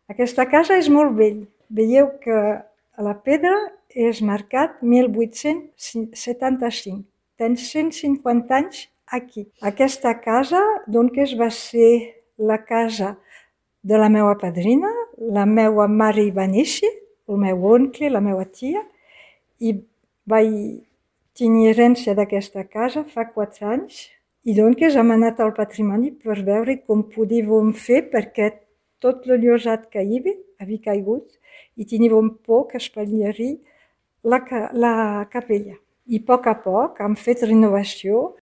Aquesta casa és molt vell. Veieu que a la pedra és marcat 1875. Tens 150 anys aquí. Aquesta casa, doncs, va ser la casa de la meva padrina, la meva mare hi va néixer, el meu oncle, la meva tia, i vaig tenir herència d'aquesta casa fa 4 anys, i doncs hem anat al patrimoni per veure com podíem fer perquè tot el llosat que hi havia caigut i teníem por que espatlleri la capella. I a poc hem fet renovació